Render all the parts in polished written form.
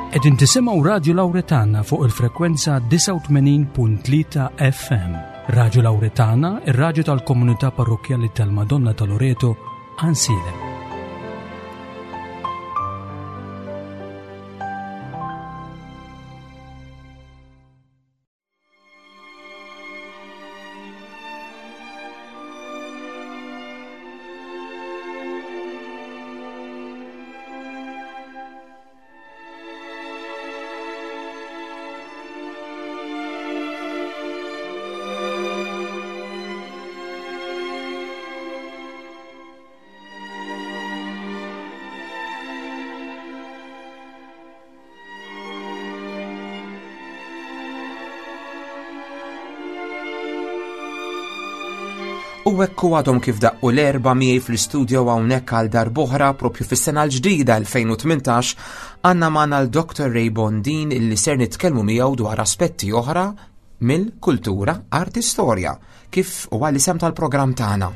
Qegħdin tisimgħu Radju Lawretana fuq il-frekwenza 89.3 FM. Radju Lawretana, ir-radju tal-komunità parrokkjali tal-Madonna ta' Loreto, Ansilem. U hekk u għadhom kif daqqu l-erba miegħi fl-istudio hawnhekk għal darb'oħra propju fis-sena l-ġdida 2018 għandna magħna l-Dr. Ray Bondin illi ser nitkellmu miegħu dwar aspetti oħra mill-kultura, arti, storja, kif huwa l-isem tal-programm tagħna.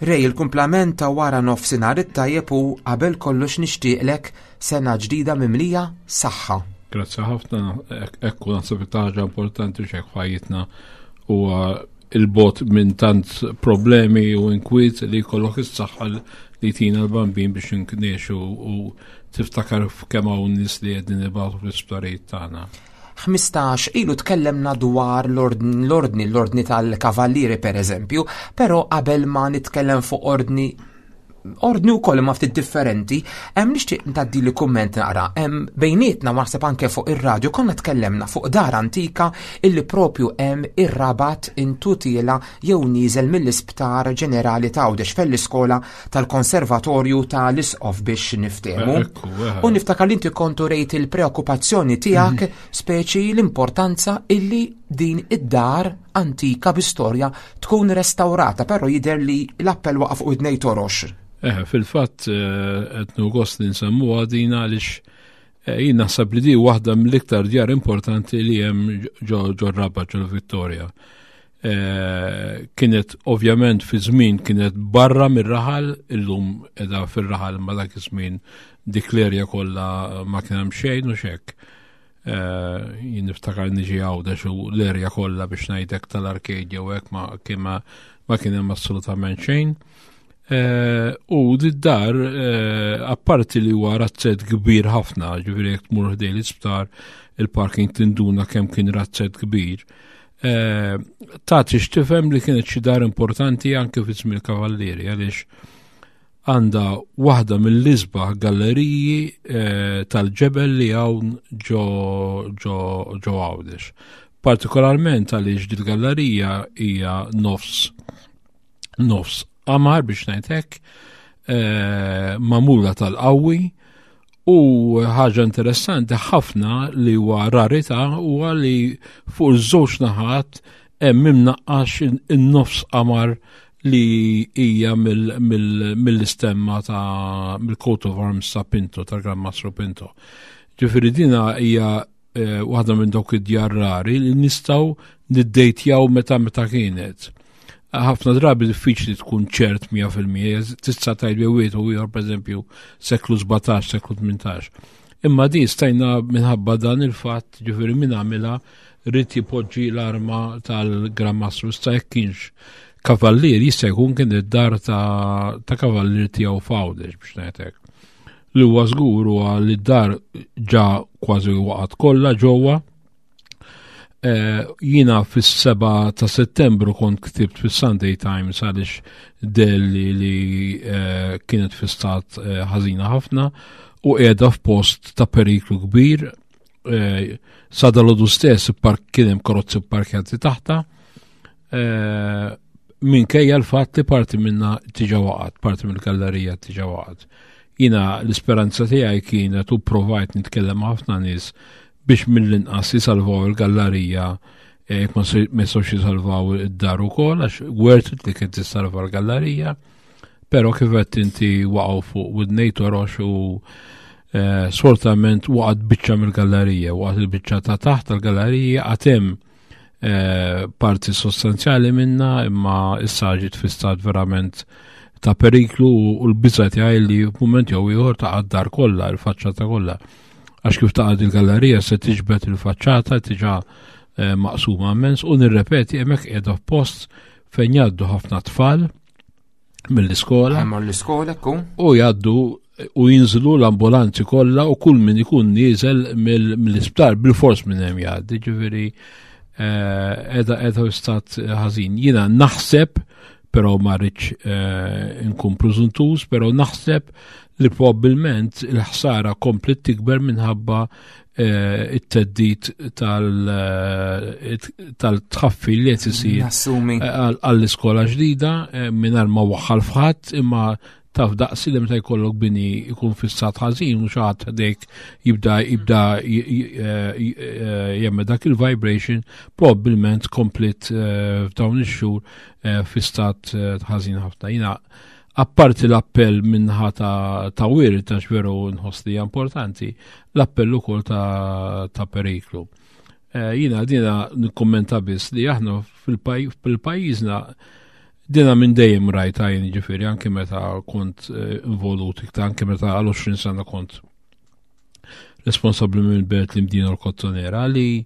Ray, il-kumplament ta' wara nofsinhar it-tajjeb u qabel kollox nixtieqlek sena ġdida mimlija saħħa. Grazzi ħafna, ekku naħseb ħaġa importanti xek fajitna huwa il-bot minn tant problemi u inkwiet li jkollok is-saħħa li tina l-bambin biex nkneexu u tiftakar f'kemm hawn nies li qegħdin ibatu fl-isptarijiet tagħna. 15 ilu tkellemna dwar l-ordni, l-ordni tal-kavallieri per eżempju, però qabel ma nitkellem fuq ordni ordni wkoll imma ftit differenti, hemm nixtieq ntaddi li kumment naqra. Hemm bejnietna naħseb anke fuq ir-radju konna tkellemna fuq dar antika illi propju hemm ir-rabat intutila jew nieżel mill-Isptar Ġenerali ta' Għawdex fell-iskola tal-Konservatorju ta' l-Isqof biex niftehmu. U niftakar li inti kontu rejt il-preokkupazzjoni tiegħek mhm. speċi l-importanza illi din id-dar antika bi storja tkun restaurata, però jidher li l-appell waqa' fuq id torox. Eh, fil-fatt eh, qed gost li nsemmuha din għaliex eh, jien naħseb li di waħda mill-iktar djar importanti li hemm ġo Rabat ġo Vittoria. Eh, kienet ovvjament fi żmien kienet barra mir-raħal, illum edha fir-raħal ma dak iż-żmien dik l-erja kollha ma kien hemm xejn u xekk. Eh, jien niftakar niġi għawdex u l-erja kollha biex ngħidek tal-arcade jew hekk ma kien ma kien hemm assolutament xejn. Eh, u d-dar, apparti li huwa razzett kbir ħafna, ġifieri jekk tmur ħdej l-isptar, il-parking tinduna kemm kien razzett kbir. Eh, tagħti x'tifhem li kienet xi dar importanti anke fi żmien kavallieri għaliex għandha waħda mill-isbaħ galleriji eh, tal-ġebel li hawn ġo ġo ġo Għawdex. Partikolarment għaliex dil-gallerija hija nofs nofs qamar biex ngħid hekk, eh, magħmula tal-qawwi U ħaġa interessanti ħafna li huwa rarità huwa li fuq iż-żewġ naħat hemm imnaqqax in-nofs qamar li hija mill-istemma ta' mill-coat of arms ta' Pinto, ta' Gran Mastro Pinto. Ġifieri dina hija eh, waħda minn dawk id-djar rari li nistgħu niddejtjaw meta meta kienet. Ħafna drabi diffiċli tkun ċert 100%, tista' tgħid jew wieħed u ieħor pereżempju seklu 17, seklu 18. Imma di stajna minħabba dan il-fatt, ġifieri min għamilha rrid jipoġġi l-arma tal-Gran Mastru sta jekk kienx kavallier jista' jkun kien id-dar ta', ta kavallier tiegħu f'Għawdex biex ngħidlek. Li huwa żgur huwa li d-dar ġa kważi waqgħet kollha ġewwa. Eh, jiena fis-7 ta' Settembru kont ktibt fis-Sunday Times għaliex delli li eh, kienet fi stat eh, ħażina ħafna u qiegħda f'post ta' periklu kbir sa dalodu stess kien hemm karozzi pparkjati taħta Eh, minkejja l-fatt li parti minna tiġa waqgħet, parti mill-gallerija tiġa waqgħet. Jina l-isperanza tiegħi kienet u provajt nitkellem ħafna nies biex mill-inqas jisalvaw il-gallerija eh, jekk ma jistgħux jisalvaw id-dar ukoll għax worth it li kien tissalva l-gallerija. Però kif qed inti waqgħu fuq widnej torox u eh, sfortunatament waqgħet biċċa mill-gallerija, waqgħet il-biċċa ta' taħt tal-gallerija għad hemm Eh, parti sostanzjali minna imma issa ġiet fi stat verament ta' periklu u l-biża tiegħi li f'mument jew ieħor ta' dar kollha, il-faċċata kollha. Għax kif taqgħod il-gallerija se tiġbed il-faċċata tiġa eh, maqsuma immens u nirrepeti hemmhekk qiegħda f'post fejn jgħaddu ħafna tfal mill-iskola. l-iskola ku. U jgħaddu u jinżlu l-ambulanzi kollha u kull min ikun nieżel mill-isptar bil-fors minn hemm jgħaddi, ġifieri eh, qiegħda qiegħda stat ħażin. Jiena naħseb però ma rridx eh, nkun preżuntuż, però naħseb li probabbilment il-ħsara komplet tikber minħabba eh, it-teddit eh, tal-tħaffi li qed isir għall-iskola ġdida mingħajr ma waħħal f'ħadd imma taf daqsi li meta jkollok bini jkun fissat ħażin u xi ħadd ħdejk jibda jibda jemme dak il-vibration probabbilment komplet f'dawn ix-xhur Eh, fi stat eh, ħażin ħafna. Jina apparti l-appell minnħa ta', ta wirt għax veru nħoss li importanti, l-appell ukoll ta', ta periklu. Eh, jina dina nikkommenta biss li aħna fil-pajjiżna dina minn dejjem rajta jien ġifieri anke meta kont involut iktar anke meta għal 20 sena kont responsabbli minn belt l-imdina l-kottonera li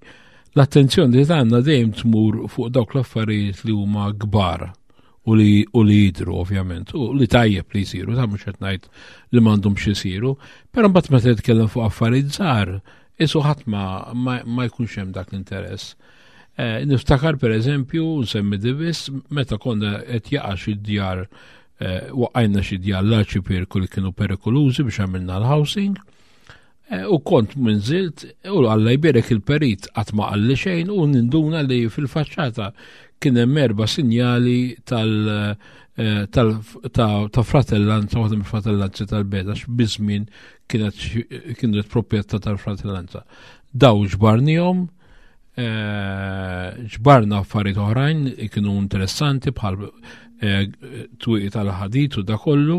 l-attenzjoni li tagħna dejjem tmur fuq dawk l-affarijiet li huma kbar u li u li jidru ovvjament u li tajjeb li jsiru ta' mhux qed ngħid li m'għandhomx isiru, però mbagħad meta titkellem fuq affarijiet żgħar, isu ħadd ma, ma, ma jkunx hemm dak l-interess. Eh, niftakar per eżempju, nsemmi divis, meta konna qed jaqa' xi djar eh, waqqajna xi djar l-arċipirku li kienu perikolużi biex għamilna l-housing. Eh, u kont minżilt u Alla jbierek il-perit qatt ma qalli xejn u ninduna li fil-faċċata kien hemm erba' sinjali tal eh, ta' fratellanza, waħda mill-fratellanzi tal-beda, biżmien kienet kienet proprjetà tal-fratellanza. Daw ġbarnihom, Eh, ġbarna affarijiet oħrajn kienu interessanti bħal eh, twieqi tal-ħadid u da kollu.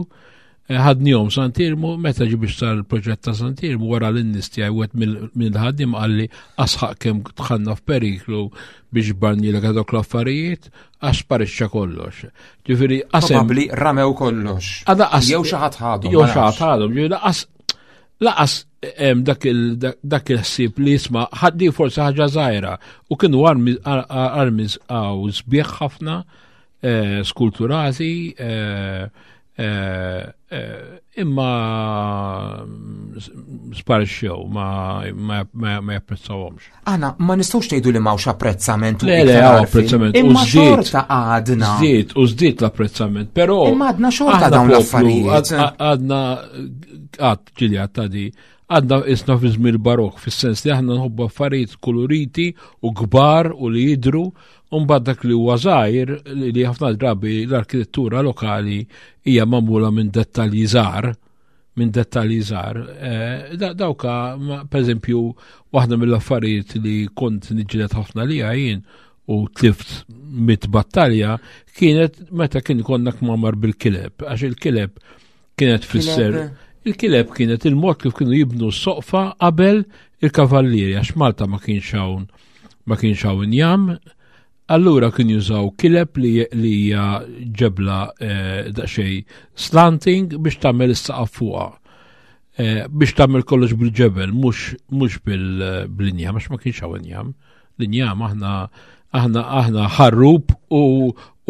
Eh, ħadnihom Santirmu, meta ġi biex sar il-proġett ta' Santirmu wara l-nies tiegħi wieħed mill-ħaddiem qalli asħaq kemm tħanna f'periklu biex barnilek dawk l-affarijiet għax sparixxa kollox. Ġifieri qasem. Probabbli ramew kollox. Jew xi ħadd ħadhom. Jew xi ħadd ħadhom, ġifieri laqas dak il-ħsieb li jisma' ħaddi forsi ħaġa żgħira u kienu armi għaw sbieħ ħafna eh, skulturati eh, eh, imma sparixxew ma japprezzawhomx. Aħna ma nistgħux tgħidu li m'hawnx apprezzament u le, le, apprezzament. Imma xorta għadna. Żdied u żdied l-apprezzament, però. Imma għadna xorta dawn l-affarijiet. Għadna għad ġili għadta di għadna isna fi żmien barok, fis-sens li aħna nħobbu affarijiet kuluriti u kbar u li jidru, u mbagħad dak li huwa żgħir li ħafna drabi l-arkitettura lokali hija magħmula minn dettalji żgħar minn dettalji żgħar. Eh, dawka, per eżempju, waħda mill-affarijiet li kont niġġieled ħafna li jien u tlift mit battalja kienet meta kien konna kmamar bil-kileb, għax il-kileb kienet fisser. Il-kileb kienet il-mod kif kienu jibnu s-soqfa qabel il-kavallieri, għax Malta ma kienx hawn ma kienx hawn injam, Allura kien jużaw kileb li hija ġebla eh, daqsxejn slanting biex tagħmel is-saqaf fuqha. Eh, biex tagħmel kollox bil-ġebel, mhux bil-injam, għax ma kienx hawn injam. L-injam aħna aħna aħna ħarrub u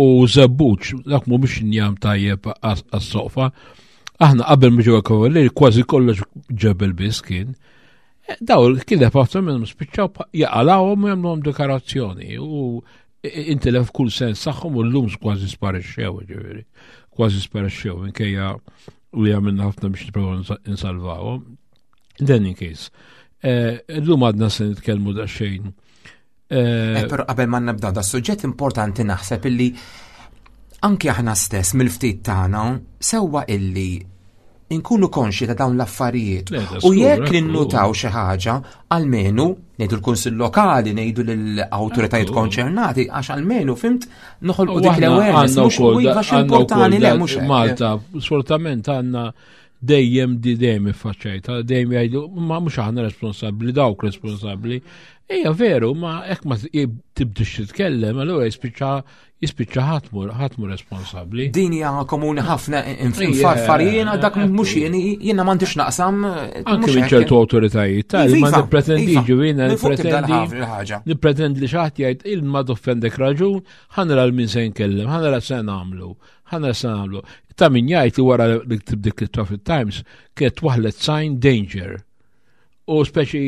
u żebbuġ, dak mhumiex injam tajjeb għas-soqfa. Aħna qabel ma ġew kavallieri kważi kollox ġebel biss kien. Eh, daw il-kileb ħafna minnhom spiċċaw jaqalawhom u jagħmluhom dekorazzjoni u intilef kull sens tagħhom u llum kważi sparixxew ġifieri. Kważi sparixxew minkejja li għamilna ħafna biex nipprovaw insalvawhom. In any case, eh, llum għadna se nitkellmu daqsxejn. Eh, però qabel ma nibda da suġġett importanti naħseb illi anki aħna stess mill-ftit tagħna sewwa illi inkunu konxi ta' dawn l-affarijiet. U jekk ninnutaw xi ħaġa, almenu ngħidu l-Kunsill Lokali, ngħidu lill-awtoritajiet konċernati, għax almenu fimt noħolqu dik l-awareness. Mhux iva importanti le mhux Malta, sfortunatament għandna dejjem di dejjem iffaċċajta, dejjem jgħidu ma mhux aħna responsabbli, dawk responsabbli. Ejja veru, ma hekk ma tibdix titkellem, allura jispiċċa jispiċċa ħadd mhu responsabbli. Din hija komuni ħafna infarfar jiena dak mhux jien jiena m'għandix naqsam. Anke minn ċertu awtoritajiet tal ma iva, nippretendi iva. ġifieri nippretendi nippretendi li xi ħadd jgħid il ma doffendek raġun, ħanra l min se nkellem, ħanra se nagħmlu, ħanra se nagħmlu. Ta' min jgħid li wara li ktib dik it-Traffic Times kienet waħlet sign danger. U speċi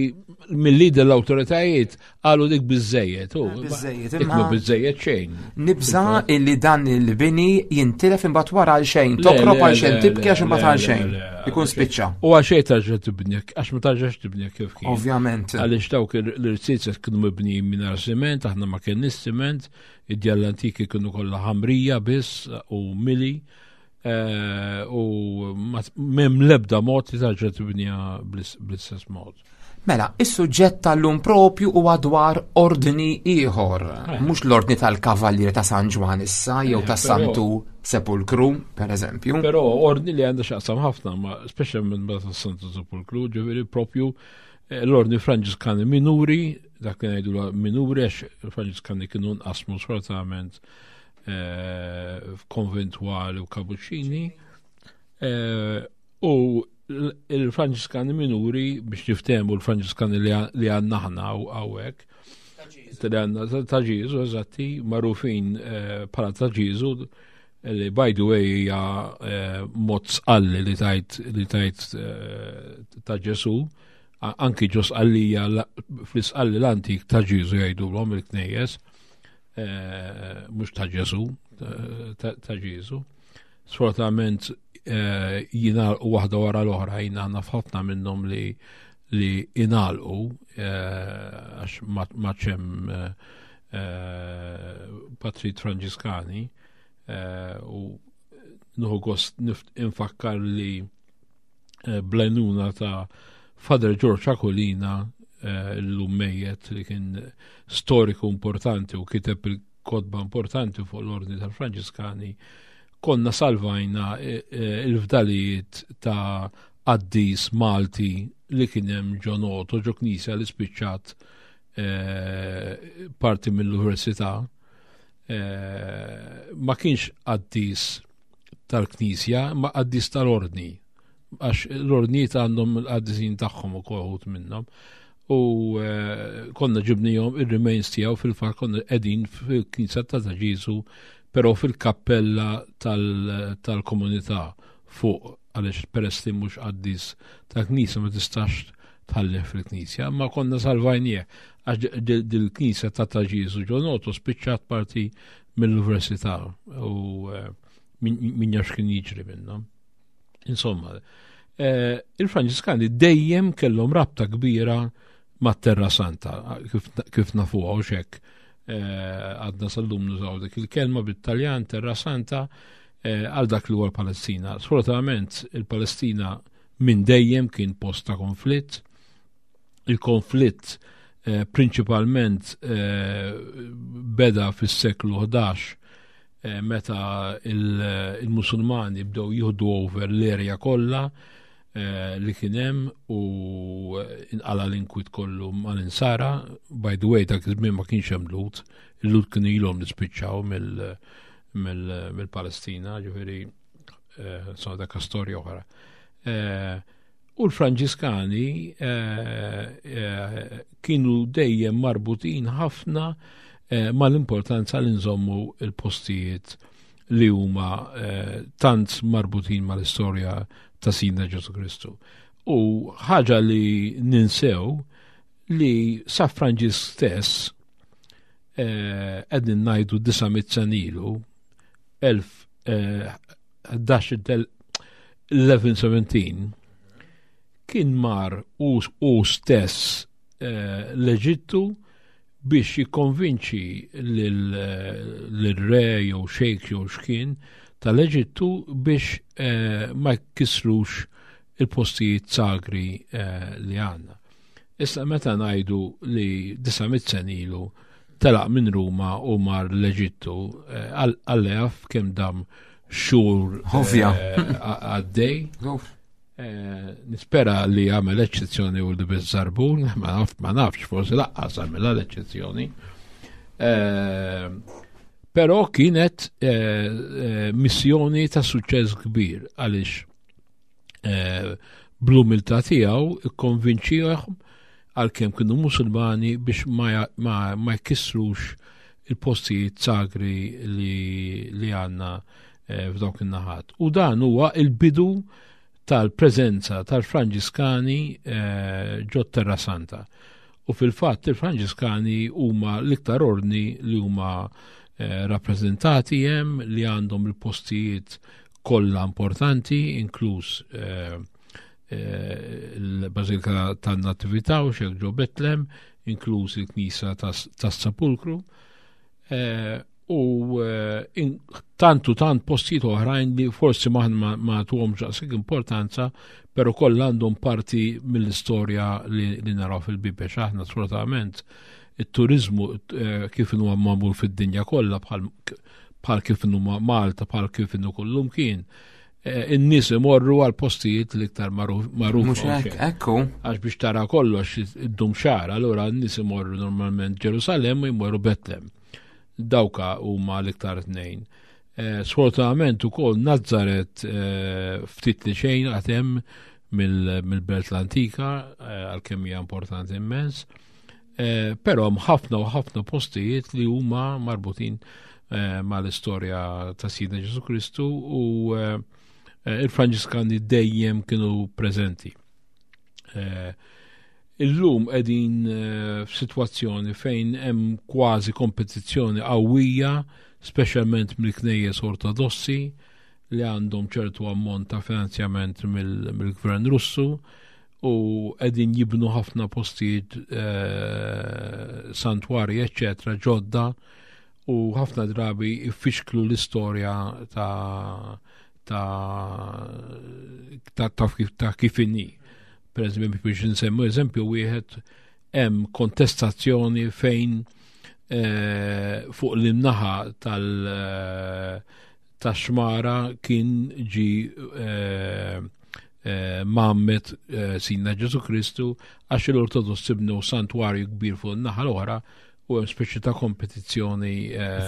mill-lider l-autoritajiet qalu dik biżejjed. Eh, biżejjed, imma biżejjed xejn. Nibża illi dan il-bini jintilef imbagħad wara għal xejn, tokrob għal xejn, tibki għax imbagħad għal xejn. Ikun spiċċa. U għal xejn tarġa' tibni, għax ma tarġax tibni kif kien. Ovvjament. Għaliex dawk l-irsiet kienu mibnijin mingħajr siment, aħna ma kienx siment, id-djar l-antiki kienu kollha ħamrija biss u mili. Eh, u m'hemm l-ebda mod li tarġa' tibnija bl-istess mod. Mela, is-suġġett tal-lum propju huwa dwar ordni ieħor, eh. mhux l-ordni tal-Kavallieri ta' San Ġwan issa jew eh, ta' Santu Sepulkru, per eżempju. Però ordni li għandha x'aqsam ħafna, ma speċjalment ma ta' Santu Sepulkru, ġifieri propju l-ordni Franġiskani minuri, dak li ngħidu minuri għax il-Franġiskani kienu nqasmu sfortunatament Eh, f'konventwali u kabuċini. Eh, u il-Franġiskani minuri biex niftehmu l-Franġiskani li għandna aħna hawnhekk. Li għandna ta' Ġieżu, eżatti, magħrufin eh, bħala ta' Ġieżu, li by the way hija mod sqalli li tajt li tajt ta' Ġesu, anki ġo sqallija fl-isqalli l-antik ta' Ġieżu jgħidulhom il-knejjes. Eh, mhux ta' Ġesu, ta' Ġesu. Sfortunatament eh, jingħalqu waħda wara l-oħra jina naf ħafna minnhom li li inalqu eh, għax ma ċem Patrit Franġiskani u nuħu gost infakkar li Eh, bl-għajnuna ta' Father George Aquilina eh, l-lum mejjet li kien storiku importanti u kiteb il-kodba importanti fuq l-ordni tal-Franġiskani, konna salvajna eh, il-fdalijiet ta' qaddis Malti li kien hemm ġo Noto, ġo knisja li spiċċat parti mill-università. Ma kienx qaddis tal-Knisja ma qaddis tal-ordni għax l-ordnijiet għandhom il-qaddisin tagħhom ukoll uħud minnhom. U eh, konna ġibnihom ir-remains tiegħu fil-fatt konna qegħdin fil-Knisja ta' Ġisu, però fil-kappella tal-komunità fuq għaliex peress li mhux qaddis tal-Knisja ma tistax tħallih fil-Knisja, ma konna salvajnieh għax dil-Knisja ta' ta' Ġisu ġonotu spiċċat parti mill-università u eh, min jaf x'kien jiġri minnhom. Insomma, eh, il-Franġiskani dejjem kellhom rabta kbira mat-Terra Santa, kif nafuha u xek. Eh, għadna sal-lum nużaw dik il-kelma bit-Taljan Terra Santa għal dak li huwa l-Palestina. Sfortunatament il-Palestina minn dejjem kien post ta' konflitt, Il-konflitt eh, prinċipalment eh, beda fis-seklu 11 eh, meta il-Musulmani bdew jieħdu over l-erja kollha li kien hemm u inqala l-inkwit kollu mal-insara. By the way, dak iż-żmien ma kienx hemm Lut, il-Lut kienu ilhom li spiċċaw mill-Palestina, ġifieri so dak storja oħra. U l-Franġiskani eh, eh, kienu dejjem marbutin ħafna eh, mal-importanza li nżommu il-postijiet li huma tant marbutin mal-istorja ta' Sidna Ġesu Kristu. U ħaġa li ninsew li sa Franġisk stess qegħdin ngħidu 900 sen ilu 11 1117 kien mar u, u stess eh, l-Eġittu biex jikkonvinċi l-re jew xejk jew xkien tal-Eġittu biex eh, ma jkissrux il-postijiet sagri eh, li għandna. Issa meta ngħidu li 900 sen ilu telaq minn Ruma u mar l-Eġittu, eh, għallef kemm dam xhur eh, għaddej. Eh, nispera li għamel eċċezzjoni u li bizzarbun, ma naf, ma nafx, forsi laqqas għamilha l-eċċezzjoni. Eh, però kienet eh, missjoni ta' suċċess kbir għaliex bl-umiltà tiegħu ikkonvinċihom għalkemm kienu musulmani biex ma, ma, ma jkissrux il-postijiet sagri li, li għanna eh, f'dawk in-naħat. U dan huwa il-bidu tal-preżenza tal-Franġiskani eh, ġo Terra Santa. U fil-fatt il-Franġiskani huma l-iktar ordni li huma eh, rappreżentati hemm li għandhom il-postijiet kollha importanti, inkluż il-Bażilika tan-Natività u xek ġo Betlem, inkluż il-Knisja tas-Sepulkru. U eh, tantu tant postijiet oħrajn li forsi maħna ma tuhomx daqshekk importanza, però kollha għandhom parti mill-istorja li, li naraw fil-Bibbja x'aħna sfortunatament it-turizmu eh, kif inhu magħmul fid-dinja kollha bħal kif inhu Malta, bħal kif inhu kullum kien. Eh, in-nies imorru għal postijiet l-iktar magħruf. Mhux hekk, ekku. Għax biex tara kollox iddum xahar, allura n-nies imorru normalment Ġerusalem u jmorru Betlem. Dawka huma l-iktar tnejn. Eh, sfortunatament ukoll Nazzaret eh, ftit li xejn għad hemm mill-belt l-antika eh, għalkemm hija importanti immens. Però hemm ħafna u ħafna postijiet li huma marbutin mal-istorja ta' Sidna Ġesu Kristu u il-Franġiskani dejjem kienu preżenti. Illum qegħdin eh, f'sitwazzjoni fejn hemm kważi kompetizzjoni qawwija, speċjalment mill-knejjes ortodossi li għandhom ċertu ammont ta' finanzjament mill-gvern Russu u qegħdin jibnu ħafna postijiet eh, santwarji eċċetera ġodda u ħafna drabi jfixklu l-istorja ta' ta' ta' ta' kif inhi. Per eżempju, biex nsemmu eżempju wieħed hemm kontestazzjoni fejn eh, fuq l-imnaħa tal eh, tax-xmara kien ġi eh, mammet Sidna Ġesu Kristu għax l-Ortodossi bnew santwarju kbir fuq in-naħa l-oħra u hemm speċi ta' kompetizzjoni.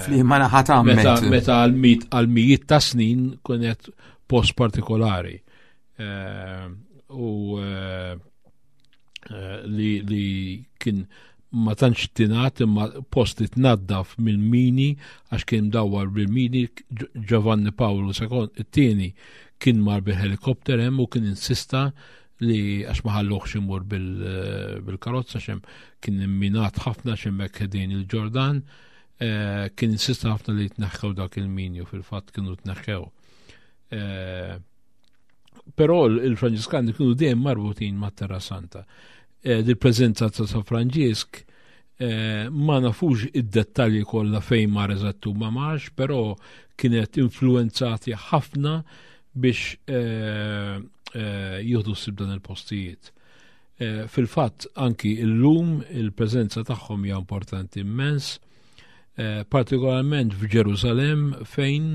Fliema naħa tgħammet. Meta għal mijiet ta' snin kienet post partikolari. Eh, u eh, eh, li, li kien ma tantx tingħad imma post li tnaddaf mill-mini għax kien mdawwar bil-mini Giovanni Paolo II it-tieni kien mar bil-helikopter hemm u kien insista li għax ma ħalluhx imur bil-karozza xem kien imminat ħafna xemmek ħedin il-Ġordan kien insista ħafna li tneħħew dak il-mini u fil-fatt kienu tneħħew. Però il-Franġiskani kienu dejjem marbutin ma' Terra Santa. Eh, Dil-preżenza ta' San Franġisk eh, ma nafux id-dettalji kollha fejn mar eżattu ma marx, però kienet influenzati ħafna biex eh, jieħdu ssib dan il-postijiet. Fil-fatt anki illum il-preżenza tagħhom hija importanti immens, partikolarment f'Ġerusalem fejn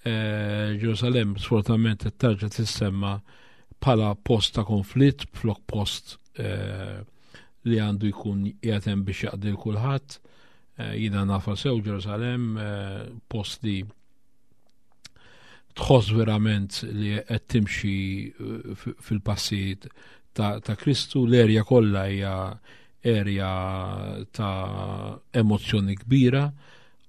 Eh, Ġerusalem sfortunatament qed tarġa' tissemma bħala post ta' konflitt flok post eh, li għandu jkun qiegħed hemm biex jaqdi l kulħadd. Eh, jiena nafa sew Ġerusalem post li tħoss verament li qed timxi fil-passi ta', ta Kristu, l-erja kollha hija erja ta' emozzjoni kbira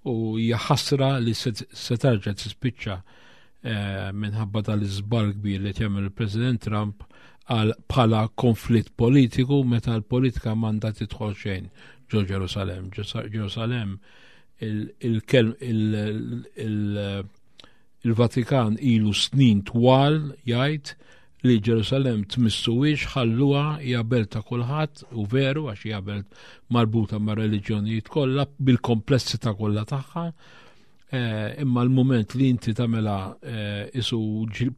U hija ħasra li se tarġa' tispiċċa eh, minħabba tal-iżball kbir li jagħmel il-President Trump għal bħala konflitt politiku meta l-politika m'għandha tidħol xejn ġo Ġerusalem. Ġerusalem il-Vatikan ilu snin twal jgħid li Ġerusalemm tmissuhiex ħalluha hija belt ta' kulħadd u veru għax hija belt marbuta ma' reliġjonijiet kollha bil-komplessità kollha tagħha. Eh, imma l-mument li inti tagħmilha eh, isu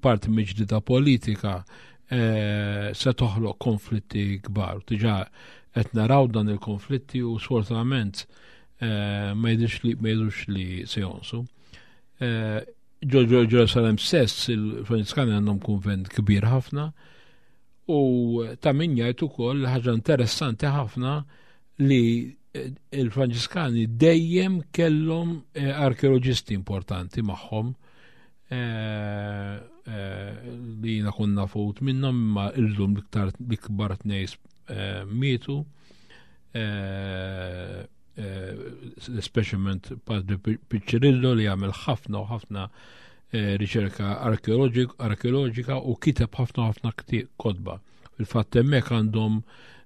parti miġdida politika eh, se toħloq konflitti kbar. Diġà qed naraw dan il-konflitti u sfortunatament ma jidhirx li ma jidhirx li se jonsu. Ġo Ġerusalem stess il-Franġiskani għandhom kunvent kbir ħafna u ta' min jgħid ukoll ħaġa interessanti ħafna li eh, il-Franġiskani dejjem kellhom eh, arkeoloġisti importanti magħhom eh, li jiena konna fut minnhom imma illum l-iktar l-ikbar tnejn mietu. Eh, speċjalment Padre Piccirillo li għamel ħafna u ħafna eh, riċerka arkeoloġika u kiteb ħafna ħafna kotba. Il-fatt hemmhekk għandhom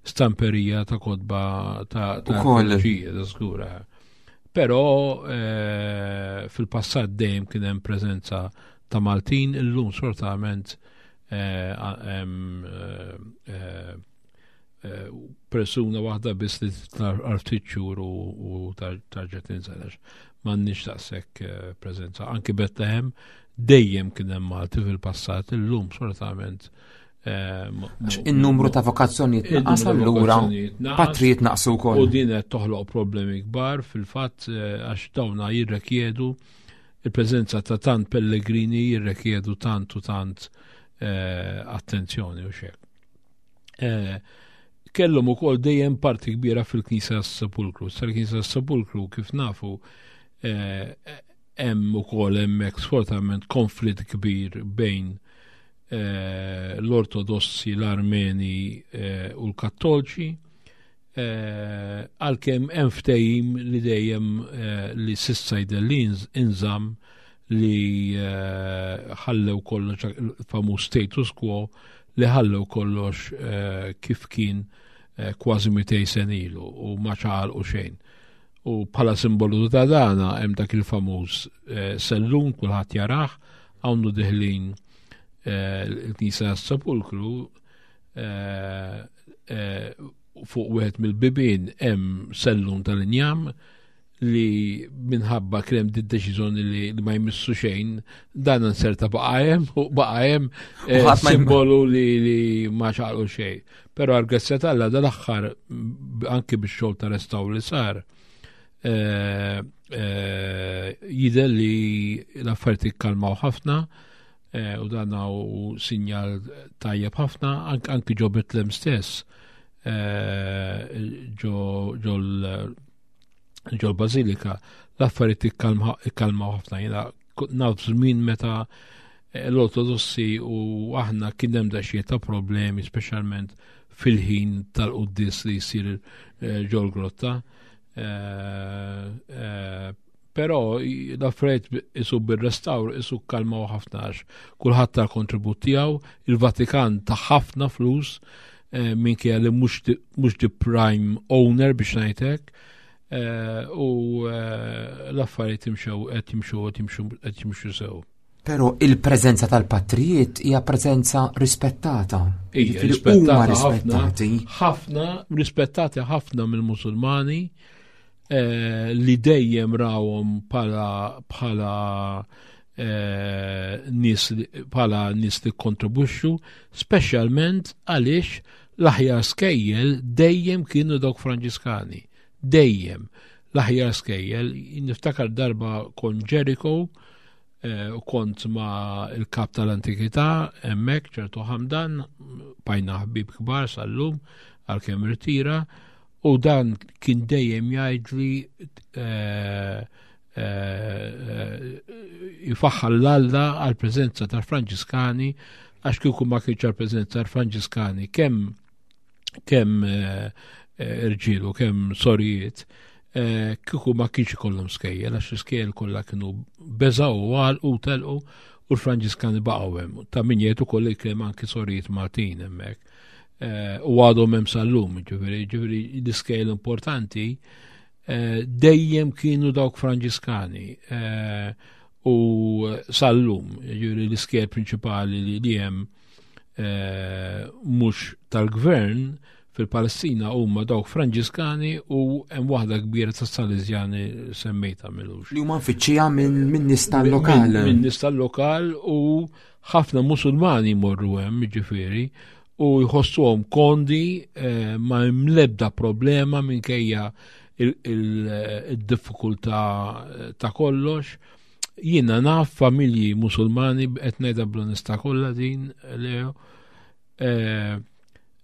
stamperija ta' kotba ta' arkeoloġija, ta' żgura. Però eh, fil-passat dejjem kien hemm preżenza ta' Maltin, illum sortament Eh, persuna waħda biss li titla' għal ftit xhur u tarġa' tinżel għax m'għandniex daqshekk eh, preżenza. Anki Bethlehem dejjem kien hemm Malti fil-passat, illum sfortunatament eh, in-numru ta' vokazzjonijiet naqas allura patrijiet naqsu wkoll. U din qed toħloq problemi kbar fil-fatt għax dawna jirrekjedu il-preżenza ta' tant pellegrini jirrekjedu tant u tant attenzjoni u xek. Eh, kellhom ukoll dejjem parti kbira fil-Knisja tas-Sepulkru. Sal-Knisja tas-Sepulkru kif nafu eh, hemm ukoll hemmhekk sfortunatament konflitt kbir bejn eh, l-Ortodossi, l-Armeni u l-Kattolċi. Għalkemm hemm ftehim li dejjem li sissa jidher li inżamm li ħallew kollox il-famuż status quo li ħallew kollox kif kien kważi 200 sen ilu u ma ċaqalqu xejn. U bħala simbolu ta' dana hemm dak il-famuż sellum kulħadd jarah hawnnu diħlin il-Knisja tas-Sepulkru Eh, fuq wieħed mill-bibien hemm sellum tal-injam li minħabba krem di deċiżjoni li ma jmissu xejn, dan nserta baqa' hemm u baqa' hemm eh, simbolu li, li ma xaqlu xejn. Però għal-grazzja tal dal-aħħar anki bix-xogħol ta' restawr li sar, eh, jidher li l-affarijiet ikkalmaw ħafna, Eh, u dan u sinjal tajjeb ħafna anki ġo Betlem stess eh, ġo l-Bazilika l-affarijiet ikkalmaw ħafna jiena naf żmien meta eh, l-Ortodossi u aħna kien hemm daqsxejn ta' problemi speċjalment fil-ħin tal-quddis li jsir ġol-grotta. Però l-affarijiet isu bir-restawr isu kalmaw ħafna għax kulħadd ta' kontribut tiegħu, il-Vatikan ta' ħafna flus eh, minkejja li mhux di prime owner biex ngħidlek. Eh, u eh, l-affarijiet imxew qed jimxu qed jimxu qed jimxu sew. Però il-preżenza tal-patrijiet hija preżenza rispettata. Hija rispettata rispettati. Ħafna rispettati ħafna mill-Musulmani eh, li dejjem rawhom bħala bħala eh, nies bħala nies li kontribwixxu, speċjalment għaliex l-aħjar skejjel dejjem kienu dawk Franġiskani. Dejjem l-aħjar skejjel, niftakar darba kon Jericho, eh, u kont ma il-kap tal-antikità hemmhekk ċertu Hamdan, bajna ħbib kbar sal-lum għalkemm irtira, U dan kien dejjem jgħidli eh, eh, jifaħħal l-Alla għal-preżenza tal-Franġiskani għax kieku ma kienx għal-preżenza tal-Franġiskani kemm kemm eh, irġiel u kemm sorijiet kieku ma kienx ikollhom skejjel għax l-iskejjel kollha kienu beżaw u għalqu u telqu u l-Franġiskani baqgħu hemm. Ta' min jgħid ukoll li kien anki sorijiet Maltin hemmhekk. Eh, u għadhom hemm sal-lum, ġifieri, ġifieri l-iskejl importanti eh, dejjem kienu dawk Franġiskani eh, u sal-lum, ġifieri l-iskejl prinċipali li hemm mhux tal-gvern fil-Palestina huma dawk Franġiskani u hemm waħda kbira ta' Salesjani semmejta milux. Li huma nfittxija minn nies tal-lokal. Minn nies tal-lokal u ħafna Musulmani jmorru hemm, ġifieri, u jħossuhom kondi eh, ma hemm l-ebda problema minkejja il-diffikultà eh, ta' kollox. Jiena naf familji Musulmani qed ngħidha bl-onestà kollha din Leo eh,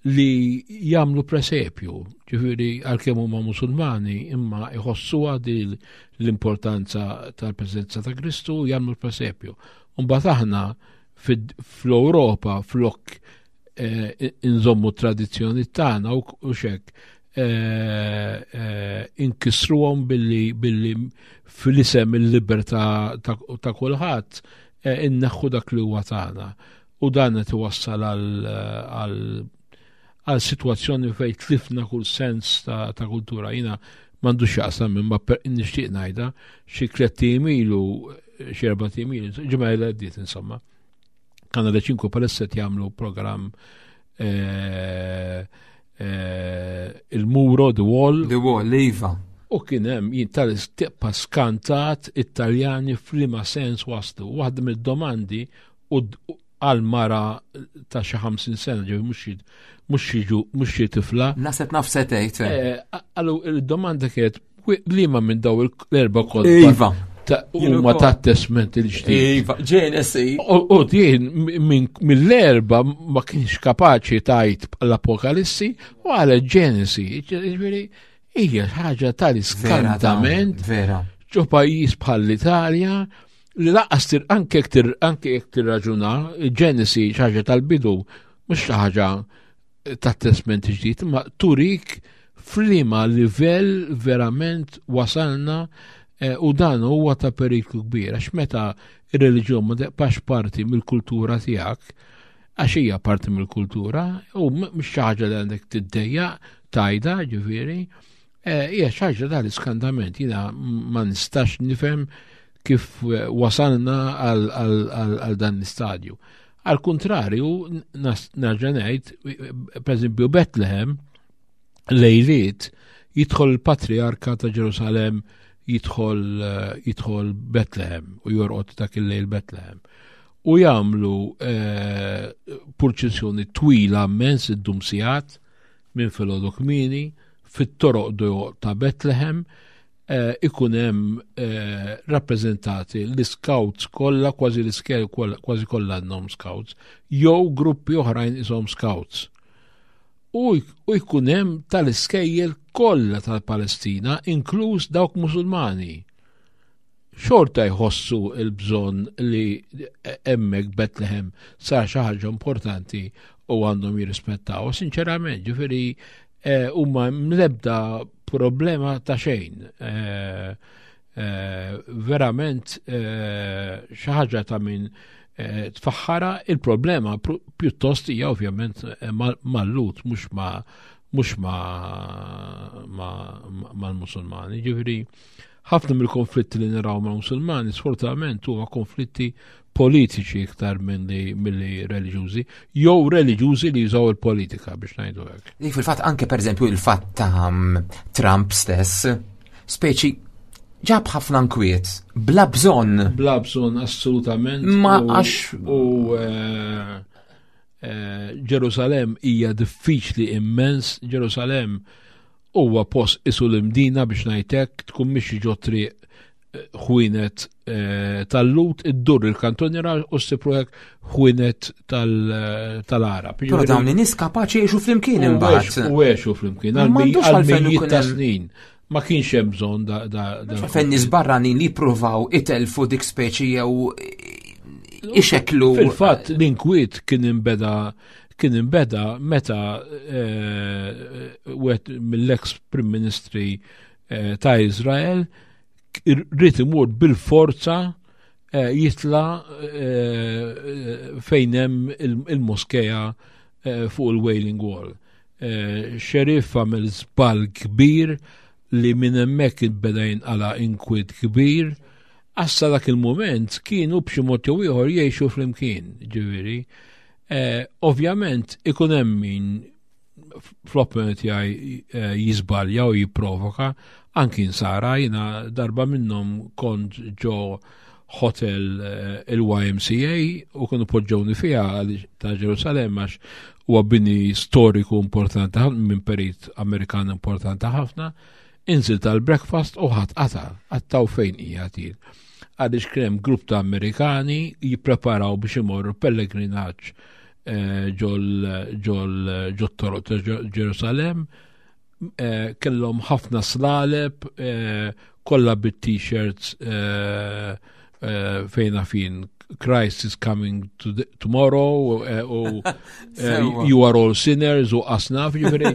li jagħmlu presepju, ġifieri għalkemm huma Musulmani imma jħossuha din l-importanza tal-preżenza ta' Kristu jagħmlu presepju. Mbagħad aħna fl-Ewropa flok eh, inżommu tradizzjoni tagħna u xek eh, eh, inkisruhom billi billi fil-isem il-libertà ta' kulħadd inneħħu dak li huwa tagħna. U dan qed iwassal għal għal situazzjoni fejn tlifna kull sens ta', ta kultura. Jina mandu xaqsam imma nixtieq ngħidha xi tliet ilu, xi erba' ilu, ġimgħa li għaddiet insomma. Kanale 5 palissa qed jagħmlu programm eh, eh, il-muro, The Wall. The Wall, iva. U kien hemm jien tal-tibqa' skantat it-Taljani f'liema sens waslu. Waħda mid-domandi u għal mara ta' xi 50 sena, ġewi mhux xi tifla. Naset naf se tgħid. Eh, Għallu il-domanda kienet liema minn daw l-erba' kotba. Iva. Huma ta' testment il-ġdid. Iva, Ġenesi. U din mill-erba ma kienx kapaċi tajt l-Apokalissi u għal Ġenesi. Ġifieri hija ħaġa tal-iskantament. Vera. Ġo pajjiż bħall-Italja li laqas anke anke jekk tirraġuna Ġenesi xi ħaġa tal-bidu mhux xi ħaġa tat-Testment Ġdid, imma turik f'liema livell verament wasalna eh, u dan huwa ta' periklu kbir għax meta ir-reliġjon ma teqpax parti mill-kultura tiegħek, għax hija parti mill-kultura u mhux xi ħaġa li għandek tiddejjaq tajda ġifieri, eh, hija xi ħaġa tal-iskandament jiena ma nistax nifhem kif eh, wasalna għal dan l-istadju. Għal kuntrarju, nerġa' ngħid, pereżempju Bethlehem, lejliet jidħol il-Patriarka ta' Ġerusalem jidħol eh, jidħol Bethlehem u jorqod dak il-lejl Bethlehem. U jagħmlu eh, purċissjoni twila immens id-dum sigħat minn filgħodu kmieni fit-toroq ta' Bethlehem Eh, ikun hemm eh, rappreżentati l-scouts kollha, kważi l-iskel kważi kollha għandhom scouts, jew gruppi oħrajn ishom scouts. U jkun hemm tal-iskejjel kollha tal-Palestina, inkluż dawk Musulmani. Xorta jħossu l-bżonn li hemmhekk Bethlehem sar xi ħaġa importanti u għandhom jirrispettaw. Sinċerament, ġifieri eh, huma mlebda problema ta' xejn. Eh, eh, verament xi ħaġa ta' min tfaħħara il-problema pjuttost hija ovvjament mal-lut mhux ma' mhux mal-Musulmani. Ġifieri ħafna mill-konflitti li naraw mal-Musulmani sfortunatament huma konflitti politiċi iktar milli milli reliġjużi, jew reliġjużi li jużaw il-politika biex ngħidu hekk. Li fil-fatt anke pereżempju il-fatt ta' mm, Trump stess, speċi ġab ħafna nkwiet, bla bżonn. Bla bżonn assolutament. Ma għax. U eh, eh, Ġerusalem hija diffiċli immens, Ġerusalem huwa post isu l-imdina biex ngħidlek tkun mixi ġo triq ħwienet eh, tal-lut iddur il-kantoniera u ssib ruħek ħwienet eh, tal-Arab. Però dawn in-nies kapaċi jgħixu flimkien imbagħad. U għexu flimkien għal mijiet ta' snin. Ma kienx hemm bżonn da da. Fejn nies barranin li jippruvaw itelfu dik speċi jew ixeklu. Fil-fatt l-inkwiet kien imbeda kien imbeda meta eh, wieħed mill-ex Prim Ministri ta' Izrael rrid imur bil-forza eh, jitla eh, fejn hemm il-moskeja eh, fuq il-Wailing Wall. Xerif għamel żball kbir li minn hemmhekk beda jinqala inkwit kbir. Għassa dak il-moment kienu b'xi mod jew ieħor jgħixu flimkien, ġifieri. Ovvjament ikun hemm min fl-opinjoni tiegħi eh, jiżbalja u jipprovoka anki nsara jiena darba minnhom kont ġo hotel eh, il-YMCA u kienu poġġewni fiha ta' Ġerusalem għax huwa bini storiku importanti ħafna minn perit Amerikan importanti ħafna. Inżil tal-breakfast u ħadd qata' għattaw fejn hija til. għaliex kien hemm grupp ta' Amerikani jippreparaw biex imorru pellegrinaġġ eh, ġol toroq ta' Ġerusalem eh, kellhom ħafna slaleb eh, kollha bit-t-shirts fejna fin Christ is coming to the, tomorrow u you are all sinners u asnaf ġifieri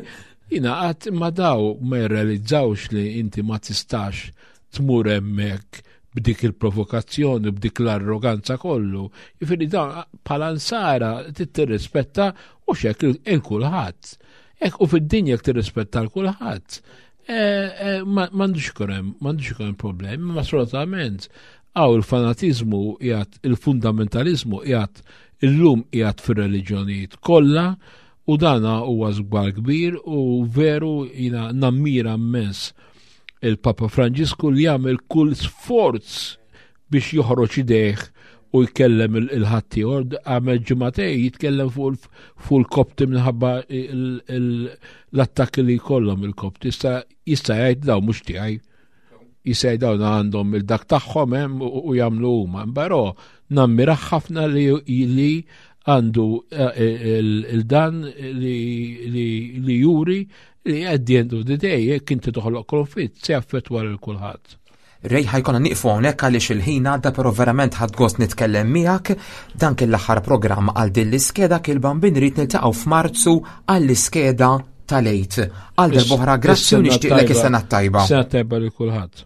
jina qatt ma daw ma jirrealizzawx li inti ma tistax tmur hemmhekk b'dik il-provokazzjoni, b'dik l-arroganza kollu. Jifieri dan bħala nsara tirrispetta u xek il-kulħadd. Ek u fid-dinja jekk tirrispetta l-kulħadd. Eh, eh, m'għandux ikun hemm, m'għandux ikun hemm problemi, ma sfortunatament għaw il-fanatizmu qiegħed il-fundamentalizmu qiegħed illum qiegħed fir-reliġjonijiet kollha u dana huwa żball kbir u veru jina nammira immens il-Papa Franġisku li jagħmel kull sforz biex joħroġ idejh u jkellem il-ħaddieħor għamel ġimagħtej jitkellem fuq il-Kopti minħabba l-attakki li jkollhom il-Kopti. Jista' jgħid daw mhux tiegħi. Jista' jgħid dawn għandhom il-dak tagħhom hemm u jagħmlu huma. Però nammira ħafna li għandu eh, il-dan li juri li at the end of the day jekk inti toħloq konflitt se jaffettwa lil kulħadd. Rej ħajkonna nieqfu hawnhekk għaliex il-ħin għadda però verament ħadd gost nitkellem miegħek. Dan kien l-aħħar programm għal din l-iskeda kien bambin rrid niltaqgħu f'Marzu għall-iskeda tal-Għid. Għal darb'oħra grazzi u nixtieqlek is-sena t-tajba. Sena tajba lil kulħadd.